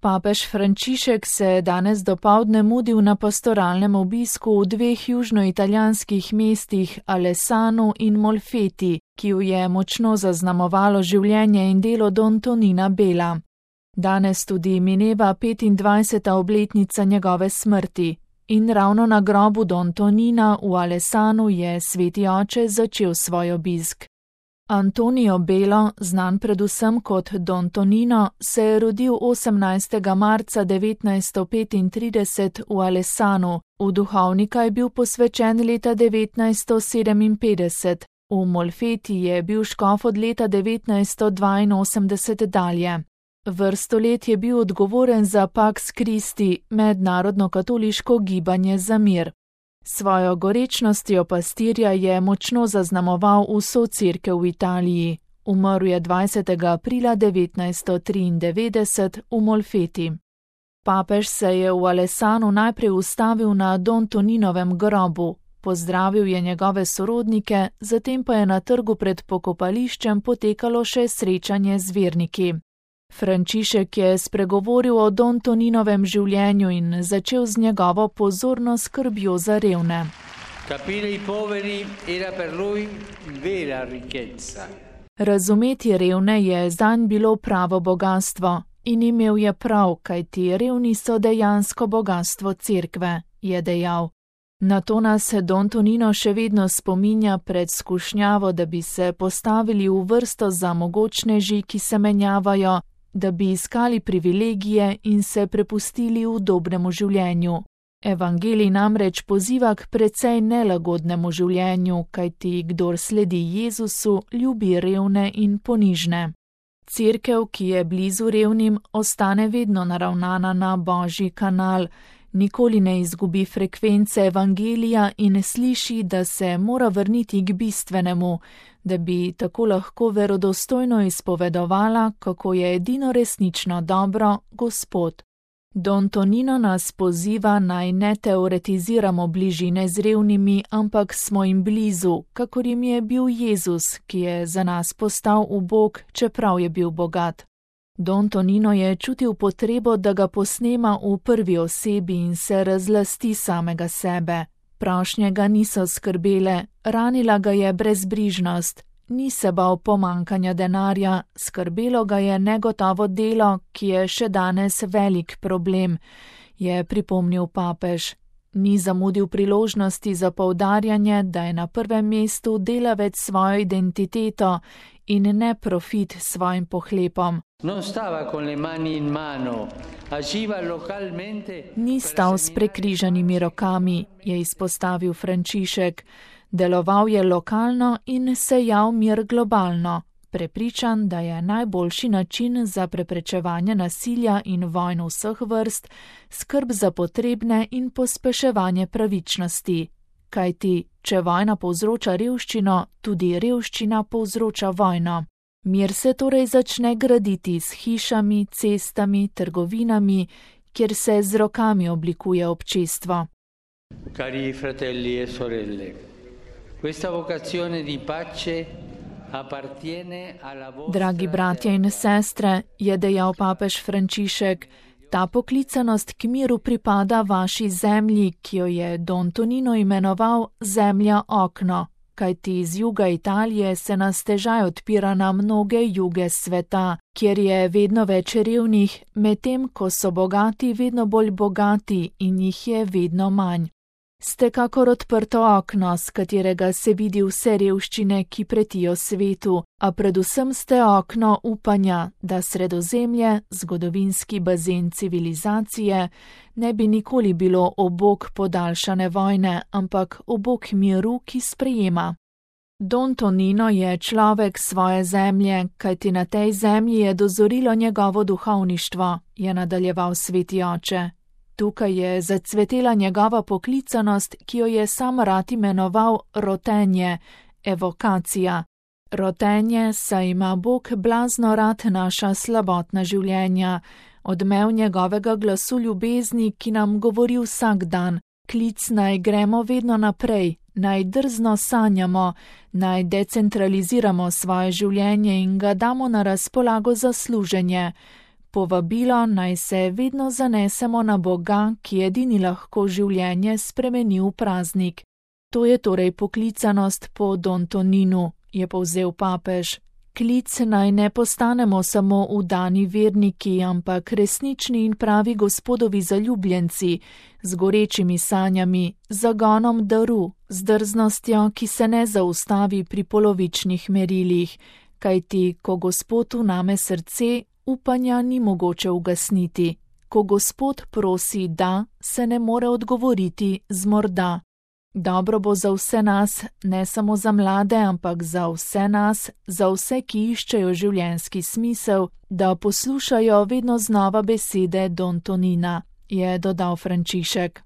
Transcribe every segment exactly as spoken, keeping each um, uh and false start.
Papež Frančišek se je danes dopoldne mudil na pastoralnem obisku v dveh južnoitalijanskih mestih Alessanu in Molfeti, ki ju je močno zaznamovalo življenje in delo Don Tonina Bela. Danes tudi mineva petindvajseta obletnica njegove smrti in ravno na grobu Don Tonina v Alessanu je sveti oče začel svoj obisk. Antonio Belo, znan predvsem kot Don Tonino, se je rodil osemnajstega marca devetnajststo petintrideset v Alessanu, v duhovnika je bil posvečen leta devetnajststo sedeminpetdeset, v Molfeti je bil škof od leta devetnajststo dvainosemdeset dalje. Vrsto let je bil odgovoren za Pax Christi, mednarodno katoliško gibanje za mir. Svojo gorečnostjo pastirja je močno zaznamoval vso cerkev v Italiji. Umrl je dvajsetega aprila devetnajststo triindevetdeset v Molfeti. Papež se je v Alessanu najprej ustavil na Don Toninovem grobu, pozdravil je njegove sorodnike, zatem pa je na trgu pred pokopališčem potekalo še srečanje z verniki. Frančišek je spregovoril o Don Toninovem življenju in začel z njegovo pozorno skrbjo za revne. Razumeti revne je zanj bilo pravo bogastvo in imel je prav, kajti revni so dejansko bogastvo cerkve, je dejal. Na to nas Don Tonino še vedno spominja pred skušnjavo, da bi se postavili v vrsto za mogočneži, ki se menjavajo, da bi iskali privilegije in se prepustili udobnemu življenju. Evangelij namreč poziva k precej nelagodnemu življenju, kajti kdor sledi Jezusu, ljubi revne in ponižne. Cerkev, ki je blizu revnim, ostane vedno naravnana na Božji kanal, nikoli ne izgubi frekvence evangelija in sliši, da se mora vrniti k bistvenemu, da bi tako lahko verodostojno izpovedovala, kako je edino resnično dobro Gospod. Don Tonino nas poziva naj ne teoretiziramo bližine z revnimi, ampak smo jim blizu, kakor jim je bil Jezus, ki je za nas postal ubog, čeprav je bil bogat. Don Tonino je čutil potrebo, da ga posnema v prvi osebi in se razlasti samega sebe. Prošnje ga niso skrbele, ranila ga je brezbrižnost, ni se bal pomankanja denarja, skrbelo ga je negotovo delo, ki je še danes velik problem, je pripomnil papež. Ni zamudil priložnosti za poudarjanje, da je na prvem mestu delavec svojo identiteto in ne profit svojim pohlepom. Ni stal s prekrižanimi rokami, je izpostavil Frančišek. Deloval je lokalno in sejal mir globalno, prepričan, da je najboljši način za preprečevanje nasilja in vojn vseh vrst skrb za potrebne in pospeševanje pravičnosti. Kajti, če vojna povzroča revščino, tudi revščina povzroča vojno. Mir se torej začne graditi s hišami, cestami, trgovinami, kjer se z rokami oblikuje občestvo. Cari fratelli e sorelle, questa vocazione di pace appartiene alla vostra... Dragi bratje in sestre, je dejal papež Frančišek, ta poklicanost k miru pripada vaši zemlji, ki jo je Don Tonino imenoval zemlja okno, kajti iz juga Italije se nas težaj odpira na mnoge juge sveta, kjer je vedno več revnih, medtem ko so bogati vedno bolj bogati in jih je vedno manj. Ste kakor odprto okno, z katerega se vidi vse revščine, ki pretijo svetu, a predvsem ste okno upanja, da Sredozemlje, zgodovinski bazen civilizacije, ne bi nikoli bilo obok podaljšane vojne, ampak obok miru, ki sprejema. Don Tonino je človek svoje zemlje, kajti na tej zemlji je dozorilo njegovo duhovništvo, je nadaljeval sveti oče. Tukaj je zacvetela njegova poklicanost, ki jo je sam rad imenoval rotenje, evokacija. Rotenje, saj ima Bog blazno rad naša slabotna življenja, odmev njegovega glasu ljubezni, ki nam govori vsak dan, klic naj gremo vedno naprej, naj drzno sanjamo, naj decentraliziramo svoje življenje in ga damo na razpolago za služenje. Povabilo naj se vedno zanesemo na Boga, ki edini lahko življenje spremeni v praznik. To je torej poklicanost po Don Toninu, je povzel papež. Klic naj ne postanemo samo vdani verniki, ampak resnični in pravi Gospodovi zaljubljenci, z gorečimi sanjami, zagonom daru, z drznostjo, ki se ne zaustavi pri polovičnih merilih, kajti ko Gospod vname srce, upanja ni mogoče ugasniti. Ko Gospod prosi da, se ne more odgovoriti z morda. Dobro bo za vse nas, ne samo za mlade, ampak za vse nas, za vse, ki iščejo življenjski smisel, da poslušajo vedno znova besede Don Tonina, je dodal Frančišek.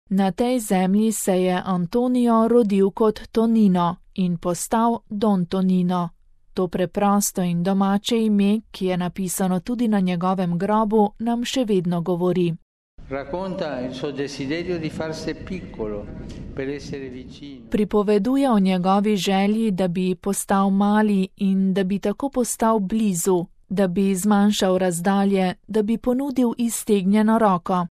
Na tej zemlji se je Antonio rodil kot Tonino in postal Don Tonino. To preprosto in domače ime, ki je napisano tudi na njegovem grobu, nam še vedno govori. Pripoveduje o njegovi želji, da bi postal mali in da bi tako postal blizu, da bi zmanjšal razdalje, da bi ponudil iztegnjeno roko.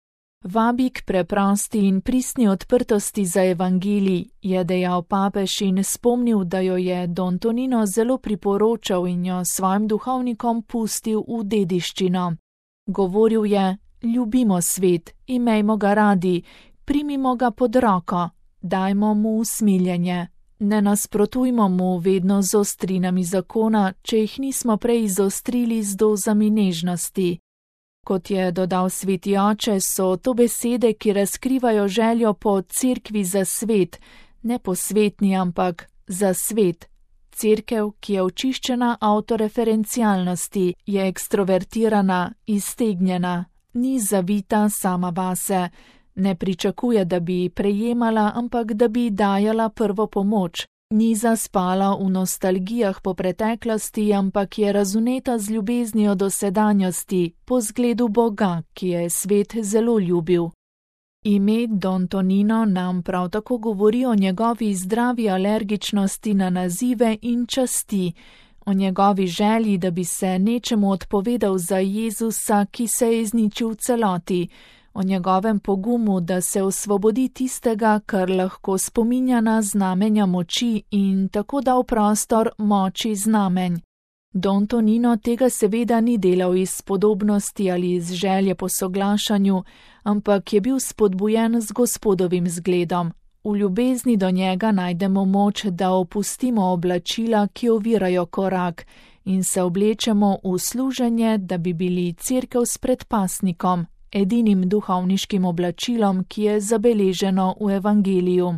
Vabi k preprosti in pristni odprtosti za evangelij, je dejal papež in spomnil, da jo je Don Tonino zelo priporočal in jo svojim duhovnikom pustil v dediščino. Govoril je: ljubimo svet, imejmo ga radi, primimo ga pod roko, dajmo mu usmiljenje. Ne nasprotujmo mu vedno z ostrinami zakona, če jih nismo prej izostrili z dozami nežnosti. Kot je dodal sveti oče, so to besede, ki razkrivajo željo po cerkvi za svet, ne po svetni, ampak za svet. Cerkev, ki je očiščena avtoreferencialnosti, je ekstrovertirana, iztegnjena, ni zavita sama vase, ne pričakuje, da bi prejemala, ampak da bi dajala prvo pomoč. Ni zaspala v nostalgijah po preteklosti, ampak je razuneta z ljubeznijo do sedanjosti, po zgledu Boga, ki je svet zelo ljubil. Ime Don Tonino nam prav tako govori o njegovi zdravi alergičnosti na nazive in časti, o njegovi želji, da bi se nečemu odpovedal za Jezusa, ki se je izničil v celoti, o njegovem pogumu, da se osvobodi tistega, kar lahko spominja na znamenja moči in tako da v prostor moči znamenj. Don Tonino tega seveda ni delal iz spodobnosti ali iz želje po soglašanju, ampak je bil spodbujen z Gospodovim zgledom. V ljubezni do njega najdemo moč, da opustimo oblačila, ki ovirajo korak, in se oblečemo v služenje, da bi bili cerkev s predpasnikom, edinim duhovniškim oblačilom, ki je zabeleženo v evangeliju.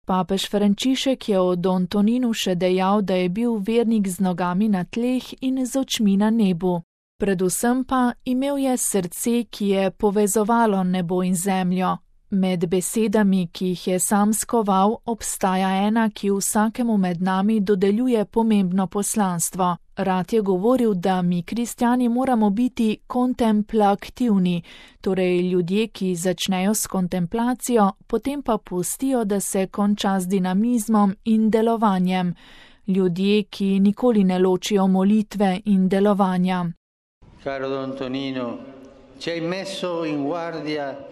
Papež Frančišek je o Don Toninu še dejal, da je bil vernik z nogami na tleh in z očmi na nebu. Predvsem pa imel je srce, ki je povezovalo nebo in zemljo. Med besedami, ki jih je sam skoval, obstaja ena, ki vsakemu med nami dodeljuje pomembno poslanstvo. Rad je govoril, da mi kristjani moramo biti kontemplativni, torej ljudje, ki začnejo s kontemplacijo, potem pa pustijo, da se konča z dinamizmom in delovanjem. Ljudje, ki nikoli ne ločijo molitve in delovanja. Caro Don Tonino, ci hai messo in guardia.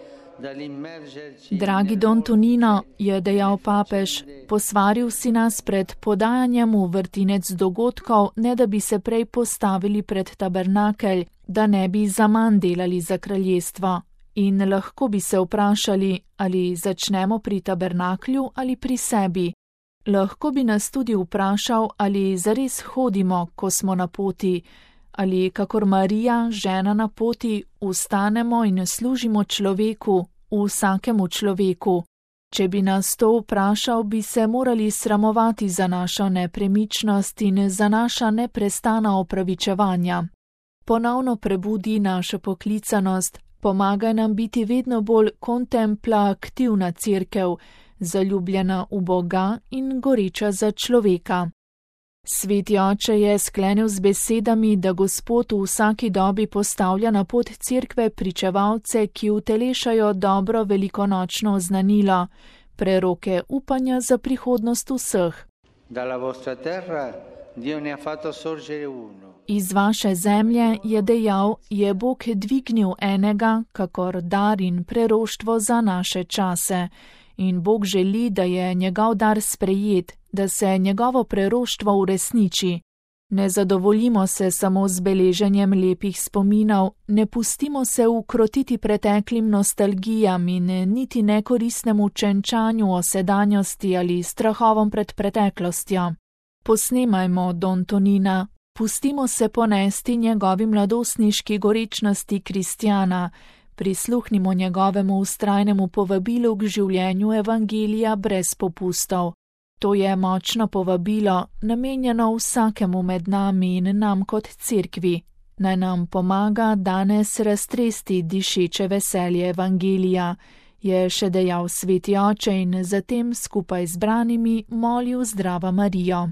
Dragi Don Tonino, je dejal papež, posvaril si nas pred podajanjem v vrtinec dogodkov, ne da bi se prej postavili pred tabernakelj, da ne bi zaman delali za kraljestvo. In lahko bi se vprašali, ali začnemo pri tabernaklju ali pri sebi. Lahko bi nas tudi vprašal, ali zares hodimo, ko smo na poti, ali kakor Marija, žena na poti, vstanemo in služimo človeku, vsakemu človeku. Če bi nas to vprašal, bi se morali sramovati za našo nepremičnost in za naša neprestana opravičevanja. Ponovno prebudi našo poklicanost, pomagaj nam biti vedno bolj kontemplativna cerkev, zaljubljena v Boga in goreča za človeka. Sveti oče je sklenil z besedami, da Gospod v vsaki dobi postavlja na pot cerkve pričevalce, ki utelešajo dobro velikonočno oznanilo, preroke upanja za prihodnost vseh. Dalla vostra terra Dio ne ha fatto sorgere uno. Iz vaše zemlje, je dejal, je Bog dvignil enega, kakor dar in preroštvo za naše čase. In Bog želi, da je njegov dar sprejet, da se njegovo preroštvo uresniči. Ne zadovoljimo se samo z beleženjem lepih spominov, ne pustimo se ukrotiti preteklim nostalgijam in niti nekoristnemu čenčanju o sedanjosti ali strahovom pred preteklostjo. Posnemajmo Don Tonina, pustimo se ponesti njegovi mladostniški gorečnosti kristjana, prisluhnimo njegovemu vztrajnemu povabilu k življenju evangelija brez popustov. To je močno povabilo, namenjeno vsakemu med nami in nam kot cerkvi. Naj nam pomaga danes raztresti dišeče veselje evangelija, je še dejal sveti oče in zatem skupaj z branimi molil Zdrava Marijo.